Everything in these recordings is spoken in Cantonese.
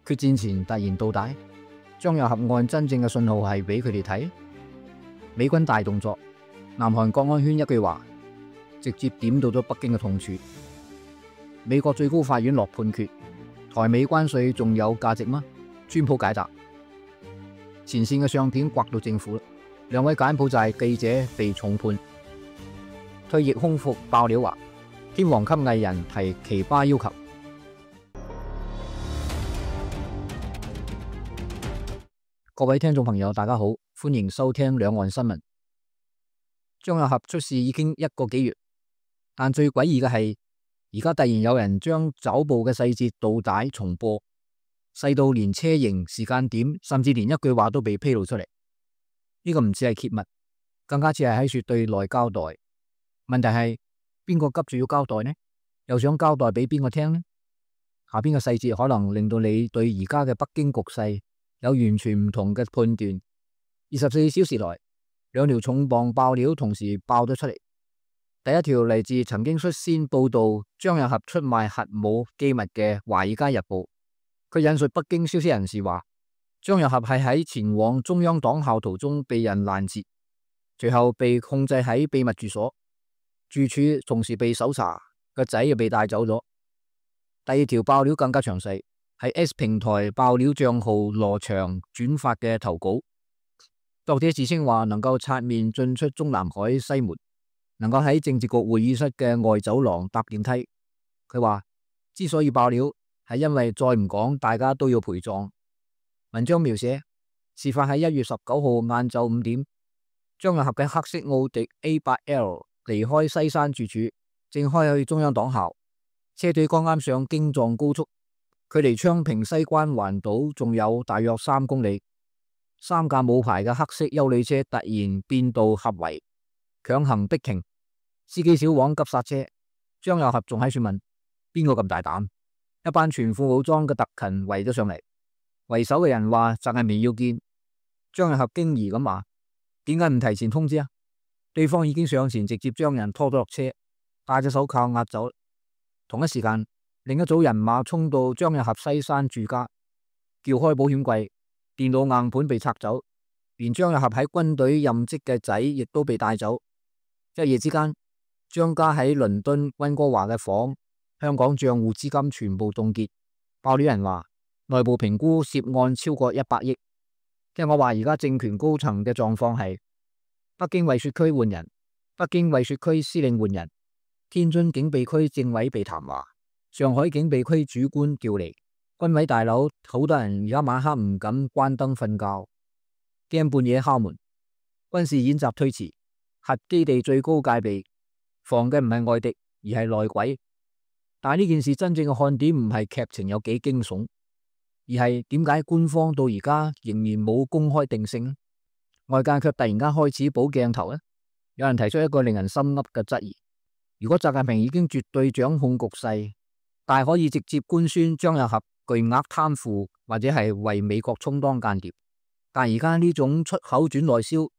決戰前突然倒帶，張又俠案真正嘅信號係俾佢哋睇。美軍大動作，南韓國安圈一句話，直接點到咗北京嘅痛處。美國最高法院落判決，台美關稅仲有價值嗎？川普解答。前線嘅相片刮到政府啦，兩位柬埔寨記者被重判。退役空服爆料話，天王級藝人提奇葩要求。各位聽眾朋友，大家好，歡迎收聽兩岸新聞。張又俠出事已經1個幾月，但最詭異嘅係，而家突然有人將抓捕嘅細節倒帶重播，細到連車型、時間點，甚至連一句話都被披露出嚟。呢個唔似係揭密，更加似係喺說對內交代。問題係邊個急住要交代呢？又想交代俾邊個聽呢？下邊嘅細節可能令到你對而家嘅北京局勢有完全唔同嘅判斷。24小時內，兩條重磅爆料同時爆咗出嚟。第一條嚟自曾經率先報道張又俠出賣核武機密嘅《華爾街日報》。佢引述北京消息人士話，張又俠係喺前往中央黨校途中被人攔截，隨後被控制喺秘密住所，住處同時被搜查，個仔又被帶走咗。第二條爆料更加詳細，係 S 平台爆料賬號羅翔轉發嘅投稿。作者自稱話能夠擦面進出中南海西門，能夠喺政治局會議室嘅外走廊搭電梯。佢話之所以爆料，係因為再唔講，大家都要陪葬。文章描寫事發喺1月19號晏晝5點，張又俠嘅黑色奧迪 A8L 離開西山住處，正開去中央黨校，車隊剛啱上京藏高速，距離昌平西關環島仲有大約3公里。3架冇牌嘅黑色休旅車突然變道合圍，強行逼停，司機小王急剎車。張又俠仲喺度問邊個咁大膽？一班全副武裝嘅特勤圍咗上嚟，為首嘅人話就係未要見。張又俠驚疑咁話，點解唔提前通知啊？對方已經上前直接將人拖咗落車，戴咗手銬押走。同一時間，另一組人馬衝到張又俠西山住家，撬開保險櫃，電腦硬盤被拆走，連張又俠喺軍隊任職嘅仔亦都被帶走。一夜之間，張家喺倫敦溫哥華嘅房、香港賬戶資金全部凍結。爆料人話，內部評估涉案超過100億。聽我話，而家政權高層嘅狀況係：北京惠雪區換人，北京惠雪區司令換人，天津警備區政委被談話，上海警備區主官調離，軍委大樓好多人而家晚黑唔敢關燈瞓覺，驚半夜敲門。軍事演習推遲，核基地最高戒備，防嘅唔係外敵，而係內鬼。但係呢件事真正嘅看點唔係劇情有幾驚悚，而係點解官方到而家仍然冇公開定性，外界卻突然間開始補鏡頭呢？有人提出一個令人心噏嘅質疑：如果習近平已經絕對掌控局勢，大可以直接官宣張又俠巨額貪腐或者係為美國充當間諜，但而家呢種出口轉內銷，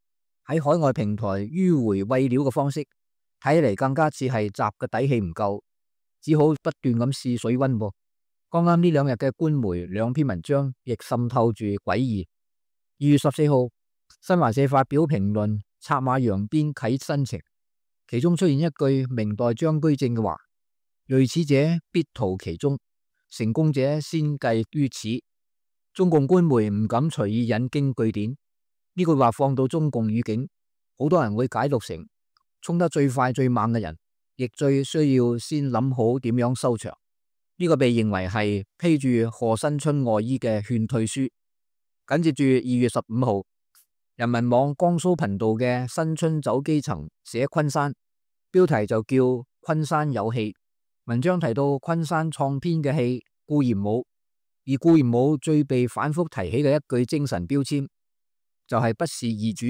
喺海外平台迂回餵料嘅方式，睇嚟更加似係習嘅底氣唔夠，只好不斷咁試水溫噃。剛啱呢2日嘅官媒2篇文章亦滲透住詭異。2月14號，新華社發表評論，策馬揚鞭啟新程，其中出現一句明代張居正嘅話：銳齒者必圖其中，成功者先計於此。中共官媒唔敢隨意引經據典，呢句話放到中共語境，好多人會解讀成衝得最快最猛嘅人，亦最需要先諗好點樣收場。呢個被認為係披住賀新春外衣嘅勸退書。緊接住2月15號，人民網江蘇頻道嘅新春走基層寫昆山，標題就叫昆山有戲。文章提到昆山創編嘅戲固然舞，而固然舞最被反覆提起嘅一句精神標籤就係不是易主。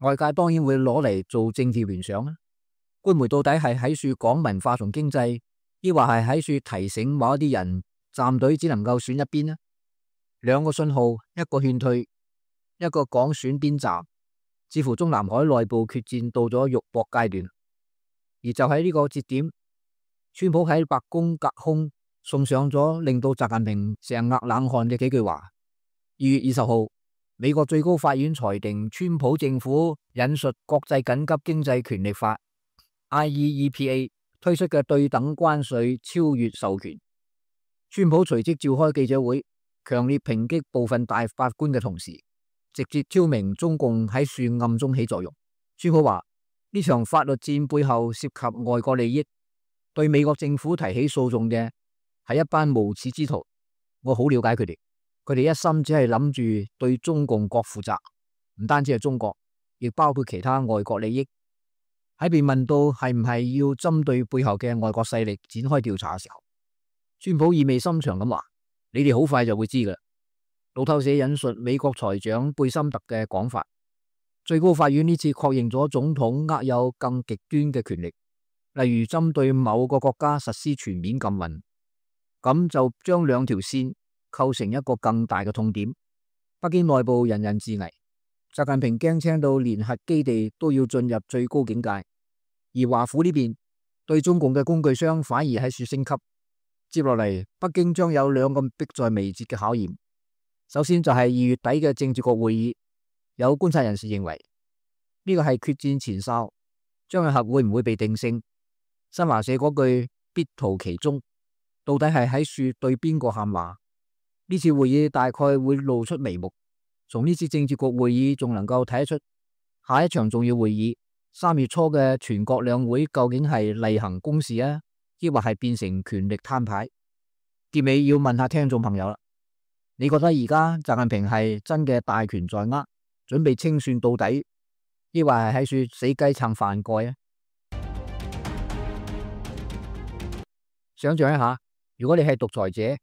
外界當然會攞嚟做政治聯想啦。官媒到底係喺處講文化同經濟，抑或係喺處提醒某一啲人站隊只能夠選一邊呢？2個信號，一個勸退，一個講選邊站，似乎中南海內部決戰到咗肉搏階段。而就喺呢個節點，川普喺白宮隔空送上咗令到習近平成額冷汗嘅幾句話。2月20號，美國最高法院裁定川普政府引述國際緊急經濟權力法 IEEPA 推出嘅對等關稅超越授權。川普隨即召開記者會，強烈抨擊部分大法官嘅同時，直接挑明中共喺樹暗中起作用。川普話呢場法律戰背後涉及外國利益，對美國政府提起訴訟嘅係一班無恥之徒。我好了解佢哋，佢哋一心只係諗住對中共國負責，唔單止係中國，亦包括其他外國利益。喺被問到係唔係要針對背後嘅外國勢力展開調查嘅時候，川普意味深長咁話：你哋好快就會知㗎啦。路透社引述美國財長貝森特嘅講法，最高法院呢次確認咗總統握有更極端嘅權力，例如針對某個國家實施全面禁運，咁就將兩條線構成一個更大嘅痛點。北京內部人人自危，習近平驚青到連核基地都要進入最高境界，而華府呢邊對中共嘅工具箱反而喺處升級。接落嚟，北京將有兩個迫在眉睫嘅考驗。首先就係2月底嘅政治局會議，有觀察人士認為呢個係決戰前哨，張又俠會唔會被定性？新華社嗰句必圖其中，到底係喺處對邊個喊話？呢次會議大概會露出眉目。從呢次政治局會議仲能夠睇得出，下一場重要會議3月初嘅全國兩會究竟係例行公事啊，抑或係變成權力攤牌？結尾要問下聽眾朋友啦，你覺得而家習近平係真嘅大權在握，準備清算到底，抑或係喺處死雞撐飯蓋啊？想象一下，如果你係獨裁者，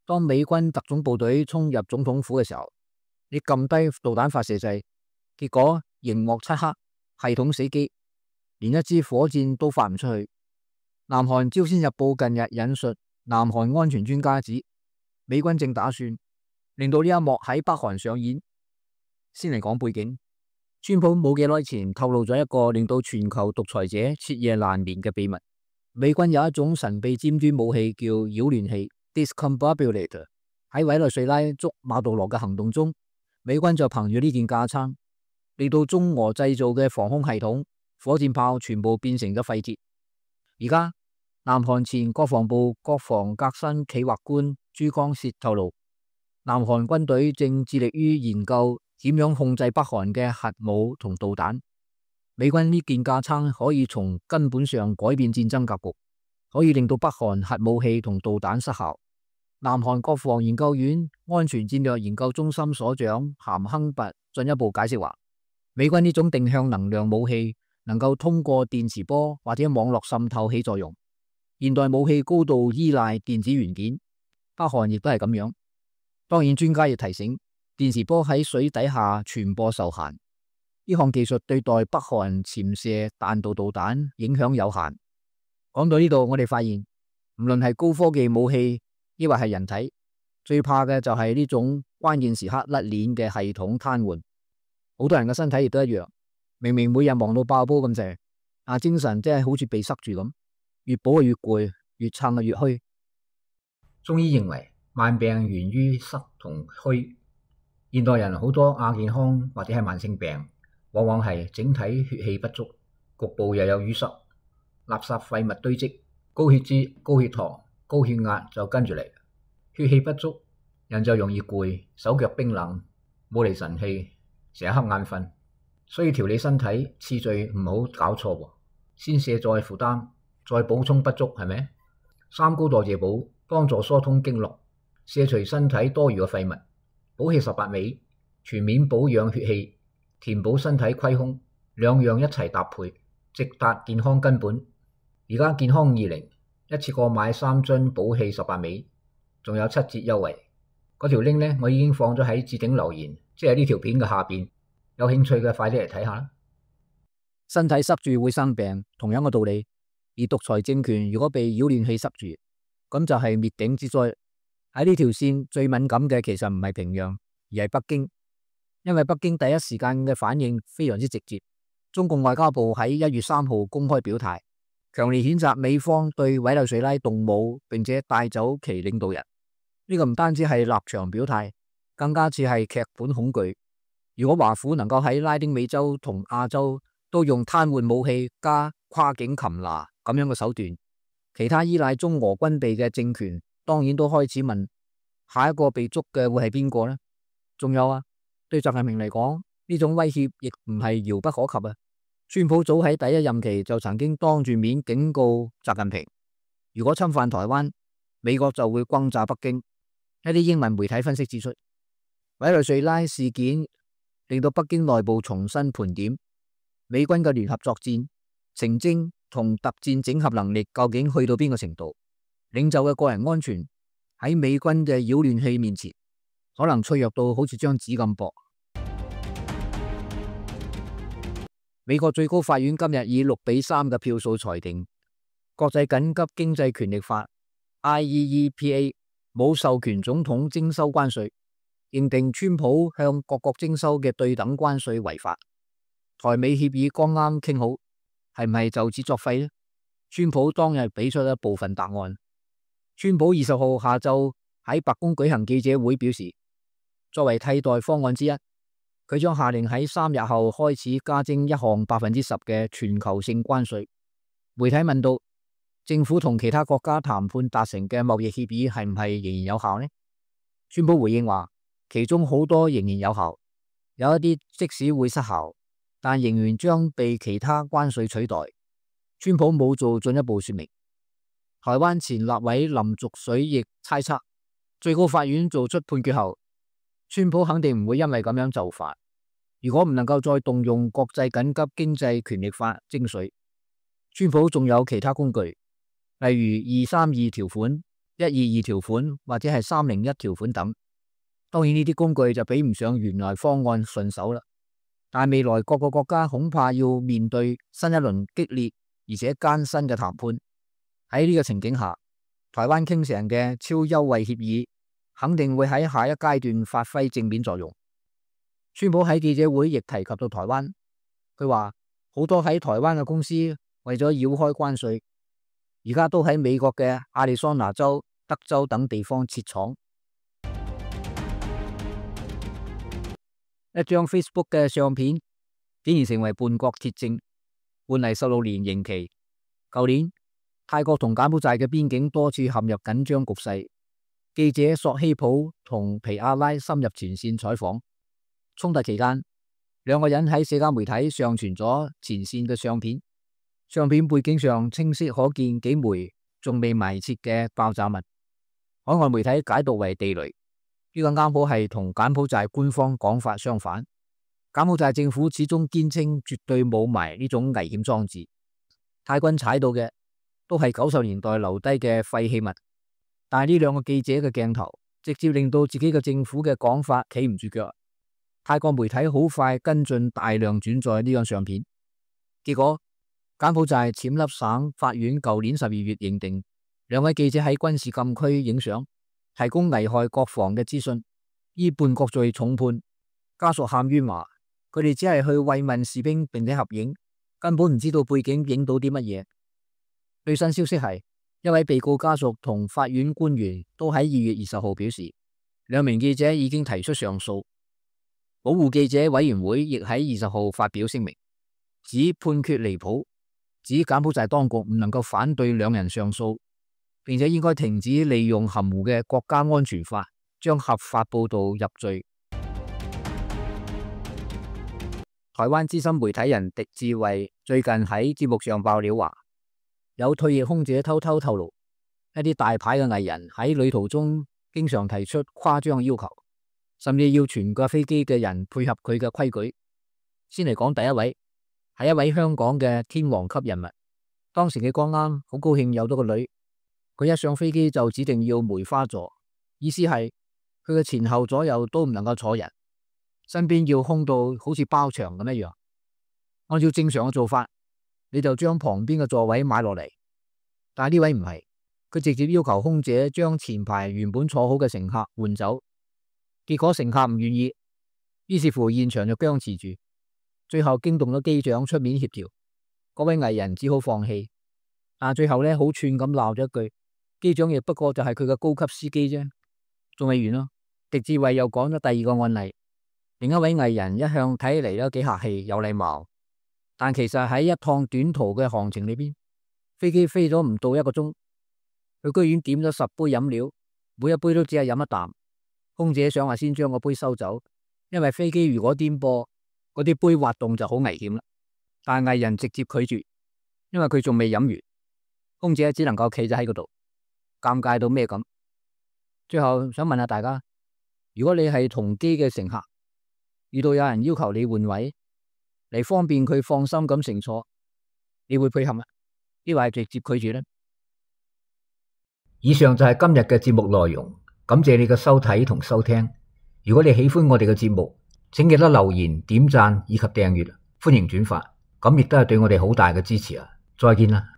當美軍特種部隊衝入總統府嘅時候，你撳低導彈發射掣，結果熒幕漆黑，系統死機，連一支火箭都發唔出去。南韓朝鮮日報近日引述南韓安全專家指，美軍正打算令到呢一幕喺北韓上演。先嚟講背景，川普冇幾耐前透露咗一個令到全球獨裁者徹夜難眠嘅秘密。美軍有一種神秘尖端武器叫擾亂器 （Discombobulator）。喺委內瑞拉捉馬杜羅嘅行動中，美軍就憑住呢件架撐，令到中俄製造嘅防空系統、火箭炮全部變成咗廢鐵。而家南韓前國防部國防革新企劃官朱光燮透露，南韓軍隊正致力於研究點樣控制北韓嘅核武同導彈。美軍呢件架撐可以從根本上改變戰爭格局，可以令到北韓核武器同導彈失效。南韓國防研究院安全戰略研究中心所長咸亨拔進一步解釋話，美軍呢種定向能量武器能夠通過電磁波或者網絡滲透起作用。現代武器高度依賴電子元件，北韓亦都係咁樣。當然，專家亦提醒，電磁波喺水底下傳播受限。呢項技術對待北韓潛射彈道導彈影響有限。講到呢度，我哋發現唔論係高科技武器，抑或係人體，最怕嘅就係呢種關鍵時刻甩鏈嘅系統癱瘓。好多人嘅身體亦都一樣，明明每日忙到爆煲咁滯，但精神真係好似被塞住咁，越補越攰，越撐越虛。中醫認為慢病源於塞同虛，現代人好多亞健康或者係慢性病，往往係整體血氣不足，局部又有淤塞，垃圾廢物堆積，高血脂、高血糖、高血壓就跟住嚟。血氣不足，人就容易攰，手腳冰冷，冇嚟神氣，成日瞌眼瞓。所以調理身體次序唔好搞錯喎，先卸載負擔，再補充不足，係咪？三高代謝補幫助疏通經絡，卸除身體多餘嘅廢物，補氣18味，全面保養血氣，填補身體虧空，兩樣一齊搭配，直達健康根本。而家健康20一次過買3樽補氣18味，仲有7折優惠。嗰條 link 呢，我已經放咗喺置頂留言，即係呢條片嘅下邊。有興趣嘅快啲嚟睇下啦。身體塞住會生病，同樣嘅道理。而獨裁政權如果被擾亂器塞住，咁就係滅頂之災。喺呢條線最敏感嘅其實唔係平壤，而係北京，因為北京第一時間嘅反應非常之直接。中共外交部喺1月3號公開表態，強烈譴責美方對委內瑞拉動武，並且帶走其領導人。呢個唔單止係立場表態，更加似係劇本恐懼。如果華府能夠喺拉丁美洲同亞洲都用癱瘓武器加跨境擒拿咁樣嘅手段，其他依賴中俄軍備嘅政權當然都開始問下一個被捉嘅會係邊個呢？仲有啊，對習近平嚟講，呢種威脅亦唔係遙不可及啊。川普早喺第一任期就曾經當住面警告習近平，如果侵犯台灣，美國就會轟炸北京。一啲英文媒體分析指出，委內瑞拉事件令到北京內部重新盤點美軍嘅聯合作戰、情偵同特戰整合能力究竟去到邊個程度。領袖嘅個人安全喺美軍嘅擾亂器面前，可能脆弱到好似張紙咁薄。美國最高法院今日以6-3嘅票數裁定，國際緊急經濟權力法 IEEPA 冇授權總統徵收關稅，認定川普向各國徵收嘅對等關稅違法。台美協議剛啱傾好，係唔係就此作廢呢？川普當日俾出一部分答案。川普20號下晝喺白宮舉行記者會，表示作為替代方案之一，佢將下令喺3日後開始加徵一項10%嘅全球性關稅。媒體問到政府同其他國家談判達成嘅貿易協議係唔係仍然有效呢？川普回應話，其中好多仍然有效，有一啲即使會失效，但仍然將被其他關稅取代。川普冇做進一步說明。台灣前立委林濁水亦猜測，最高法院做出判決後，川普肯定唔會因為咁樣就範。如果唔能夠再動用國際緊急經濟權力法徵稅，川普仲有其他工具，例如232條款、122條款或者係301條款等。當然呢啲工具就比唔上原來方案順手啦。但未來各個國家恐怕要面對新一輪激烈而且艱辛嘅談判。喺呢個情景下，台灣傾成嘅超優惠協議肯定會喺下一階段發揮正面作用。川普喺記者會亦提及到台灣，佢話好多喺台灣嘅公司為咗繞開關稅，而家都喺美國嘅亞利桑那州、德州等地方設廠。一張 Facebook 嘅相片竟然成為叛國鐵證，判例16年刑期。舊年泰國同柬埔寨嘅邊境多次陷入緊張局勢，記者索希普同皮亞拉深入前線採訪。衝突期間，兩個人喺社交媒體上傳咗前線嘅相片，相片背景上清晰可見幾枚仲未埋設嘅爆炸物，海外媒體解讀為地雷。呢個啱好係同柬埔寨官方講法相反。柬埔寨政府始終堅稱絕對冇埋呢種危險裝置，泰軍踩到嘅都係90年代留低嘅廢棄物。但係呢兩個記者嘅鏡頭直接令到自己嘅政府嘅講法企唔住腳。泰國媒體好快跟進大量轉載呢張相片，結果柬埔寨暹粒省法院舊年12月認定兩位記者喺軍事禁區影相，提供危害國防嘅資訊，依叛國罪重判。家屬喊冤話，佢哋只係去慰問士兵並且合影，根本唔知道背景影到啲乜嘢。最新消息係，一位被告家屬同法院官員都喺2月20號表示，兩名記者已經提出上訴。保護記者委員會亦喺20號發表聲明，指判決離譜，指柬埔寨當局唔能夠反對兩人上訴，並且應該停止利用含糊嘅國家安全法將合法報道入罪。台灣資深媒體人狄志偉最近喺節目上爆料話，有退役空姐偷偷透露，一啲大牌嘅藝人喺旅途中經常提出誇張要求，甚至要全架飛機嘅人配合佢嘅規矩。先嚟講第一位，係一位香港嘅天王級人物。當時佢剛啱好高興有咗個女，佢一上飛機就指定要梅花座，意思係佢嘅前後左右都唔能夠坐人，身邊要空到好似包場咁一樣。按照正常嘅做法，你就將旁邊嘅座位買落嚟，但係呢位唔係，佢直接要求空姐將前排原本坐好嘅乘客換走。結果乘客唔願意，於是乎現場就僵持住，最後驚動咗機長出面協調，嗰位藝人只好放棄。但最後咧好串咁鬧咗一句，機長亦不過就係佢嘅高級司機啫。仲未完咯，狄志偉又講咗第二個案例，另一位藝人一向睇起嚟都幾客氣有禮貌，但其實喺一趟短途嘅航程裏邊，飛機飛咗唔到1個鐘，佢居然點咗10杯飲料，每一杯都只係飲一啖。空姐想話先將個杯收走，因為飛機如果顛簸，嗰啲杯滑動就好危險啦。但藝人直接拒絕，因為佢仲未飲完，空姐只能夠企咗喺嗰度，尷尬到咩咁。最後想問下大家，如果你係同機嘅乘客，遇到有人要求你換位嚟方便佢放心咁乘坐，你會配合嗎？抑或係直接拒絕呢？以上就係今日嘅節目內容，感謝你嘅收睇同收聽。如果你喜歡我哋嘅節目，請記得留言、點讚以及訂閱，歡迎轉發，咁亦都係對我哋好大嘅支持啊！再見啦。